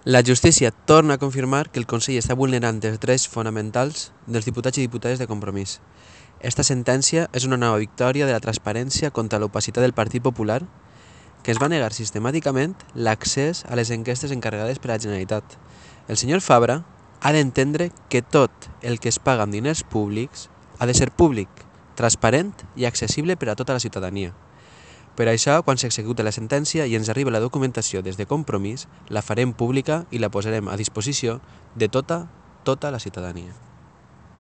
La justícia torna a confirmar que el Consell està vulnerant els drets fonamentals dels diputats i diputades de Compromís. Esta sentència és una nova victòria de la transparència contra l'opacitat del Partit Popular, que es va negar sistemàticament l'accés a les enquestes encarregades per la Generalitat. El senyor Fabra ha d'entendre que tot el que es paga amb diners públics ha de ser públic, transparent i accessible per a tota la ciutadania. Per això, quan s'executi la sentència i ens arribi la documentació des de Compromís, la farem pública i la posarem a disposició de tota la ciutadania.